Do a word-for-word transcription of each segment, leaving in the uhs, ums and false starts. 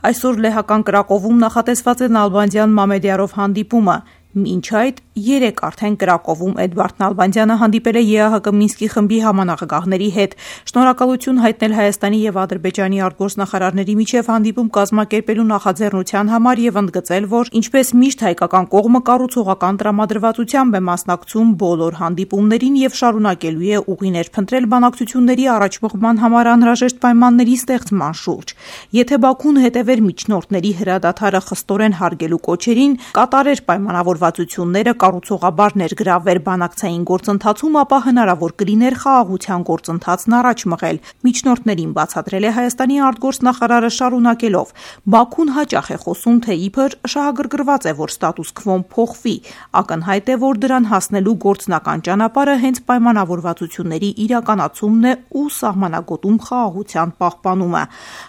Այսօր լեհական Կրակովում նախատեսված է Նալբանդյան Մամեդյարով հանդիպումը։ Մինչ այդ երեկ արդեն Կրակովում Էդվարդ Նալբանդյանը հանդիպել է ԵԱՀԿ Մինսկի խմբի համանախագահների հետ։ Շնորհակալություն հայտնել Հայաստանի եւ Ադրբեջանի արտգործնախարարների միջև հանդիպում կազմակերպելու նախաձեռնության համար եւ ընդգծել, որ ինչպես միշտ հայկական կողմը կառուցողական տրամադրվածությամբ է մասնակցում բոլոր հանդիպումներին եւ շարունակելու է ուղիներ փնտրել բանակցությունների առաջ մղման համար անհրաժեշտ պայմանների ստեղծման շուրջ։ Եթե Բաքուն հետևեր միջնորդների հրադադարը խստորեն հարգելու կոչերին, կատարեր պայմանավորվածությունները, կառուցողաբար ներգրավվեր բանակցային գործընթացում, ապա հնարավոր կլիներ խաղաղության գործընթացն առաջ մղել։ Միջնորդներին բացատրել է Հայաստանի արտգործնախարարը շարունակելով. Բաքուն հաճախ է խոսում, թե իբր շահագրգռված է, որ ստատուս քվոն փոխվի։ Ակնհայտ է, որ դրան հասնելու գործնական ճանապարհը հենց պայմանավորվածությունների իրականացումն է ու սահմանագոտում խաղաղության պահպանումը։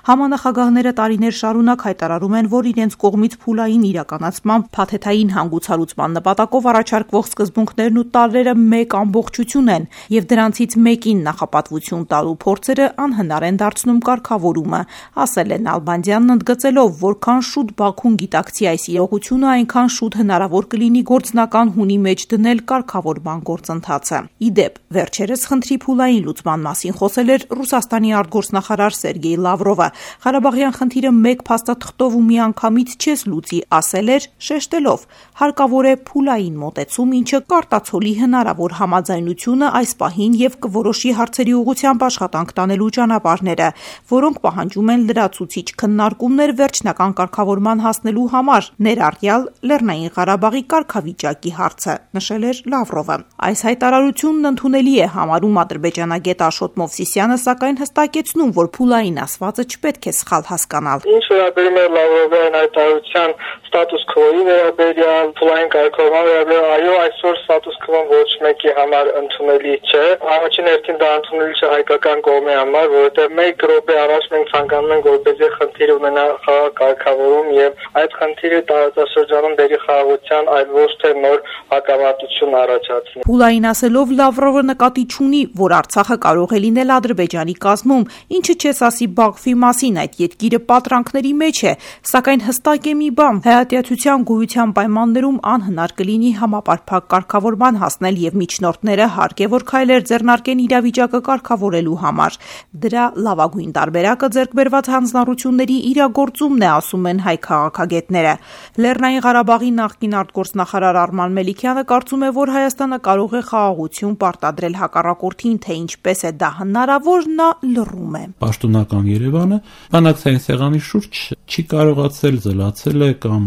Համանախագահները տարիներ շարունակ հայտարարում են, որ իրենց կողմից փուլային իրականացման փաթեթային հանգուցալուծման նպատակով առաջարկվող սկզբունքներն ու տարրերը մեկ ամբողջություն են, եւ դրանցից մեկին նախապատվություն տալու փորձերը անհնար են դարձնում կարգավորումը, ասել է Նալբանդյանն, ընդգծելով, որքան շուտ Բաքուն գիտակցի այս իրողությունը, այնքան շուտ հնարավոր կլինի գործնական հունի մեջ դնել կարգավորման գործընթացը։ Ի դեպ, վերջերս խնդրի փուլային լուծման մասին խոսել էր Ռուսաստանի արտգործնախարար Սերգեյ Լավրովը։ Ղարաբաղյան խնդիրը մեկ փաստաթղթով ու միանգամից չես լուծի, ասել էր, շեշտելով. հարկավոր է փուլային մոտեցում, ինչը կարտացոլի հնարավոր համաձայնությունը այս պահին եւ կորոշի հարցերի ուղղությամբ աշխատանք տանելու ճանապարհները, որոնք պահանջում են լրացուցիչ քննարկումներ վերջնական կարգավորման հասնելու համար, ներառյալ Լեռնային Ղարաբաղի կարգավիճակի հարցը, նշել էր Լավրովը։ Այս հայտարարությունն ընդունելի է համարում ադրբեջանագետ Աշոտ Մովսիսյանը, սակայն հստակեցնում, որ փուլային ասվածը չպետք է սխալ հասկանալ։ Ինչ վերաբերում է Լավրովի հայտարարության ստատուս քվոյի վերաբերյալ, փուլային կարգավորման վերաբերյալ, այո, այսօր ստատուս քվոն ոչ մեկի համար ընդունելի չէ։ Առաջին հերթին դա ընդունելի չէ հայկական կողմի համար, որովհետև մեկ րոպե առաջ մենք ցանկանում ենք, որպեսզի խնդիր ունենա խաղաղ կարգավորում եւ այդ խնդիրը տարածաշրջանում դերի խաղաղության, այլ ոչ թե նոր հակամարտություն առաջացնի։ Փուլային ասելով Լավրովը նկատի չունի, որ Արցախը կարող է լինել Ադրբեջանի կազմում, ինչը չես ասի Բաքվի մասին, այդ երկիրը պատրանքների մեջ է, սակայն հստակ է մի բան, հայատյացության գոյության պայմաններում անհնար կլինի համապարփակ կարգավորման հասնել եւ միջնորդները հարկ է որ քայլեր ձեռնարկեն իրավիճակը կարգավորելու համար։ Դրա լավագույն տարբերակը ձեռքբերված հանձնառությունների իրագործումն է, ասում են հայ քաղաքագետները։ Լեռնային Ղարաբաղի նախկին արտգործնախարար Արման Մելիքյանը կարծում է, որ Հայաստանը կարող է խաղաղություն պարտադրել հակառակորդին, թե ինչպես է դա հնարավոր, նա լռում է։ Պաշտոնական Երևանը բանակցային սեղանի շուրջ չի կարողացել, զլացել է կամ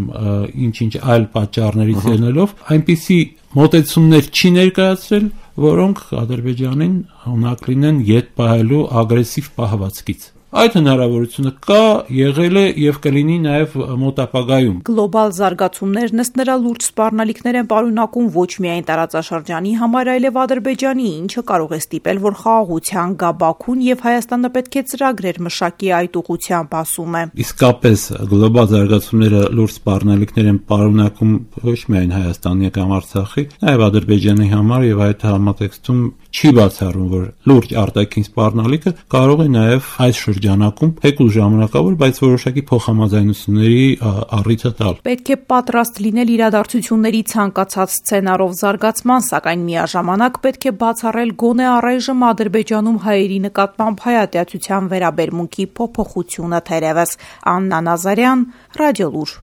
ինչ-ինչ այլ պատճառներից ելնելով այնպիսի մոտեցումներ չի ներկայացրել, որոնք Ադրբեջանին հնարք լինեն ետ պահելու ագրեսիվ պահվածքից։ Այդ հնարավորությունը կա, եղել է եւ կլինի նաեւ մոտ ապագայում։ Գլոբալ զարգացումներն ըստ նրա լուրջ սպառնալիքներ են պարունակում ոչ միայն տարածաշրջանի համար, այլև Ադրբեջանի, ինչը կարող է ստիպել, որ խաղաղության գա Բաքուն եւ Հայաստանը պետք է ծրագրեր մշակի այդ ուղղությամբ, ասում է։ Իսկապես գլոբալ զարգացումները լուրջ սպառնալիքներ են պարունակում ոչ միայն Հայաստանի կամ Արցախի, նաեւ Ադրբեջանի համար եւ այդ համատեքստում չի բացառում, որ լուրջ արտաքին սպառնալիքը կարող է նաեւ այս շրջանակում թեկուզ ժամանակավոր, բայց որոշակի փոխհամաձայնությունների առիթը տալ։ Պետք է պատրաստ լինել իրադարձությունների ցանկացած սցենարով զարգացման, սակայն միաժամանակ պետք է բացառել գոնե առայժմ Ադրբեջանում հայերի նկատմամբ հայատյացության վերաբերմունքի փոփոխությունը թերևս։ Աննա Նազարյան, Ռադիոլուր։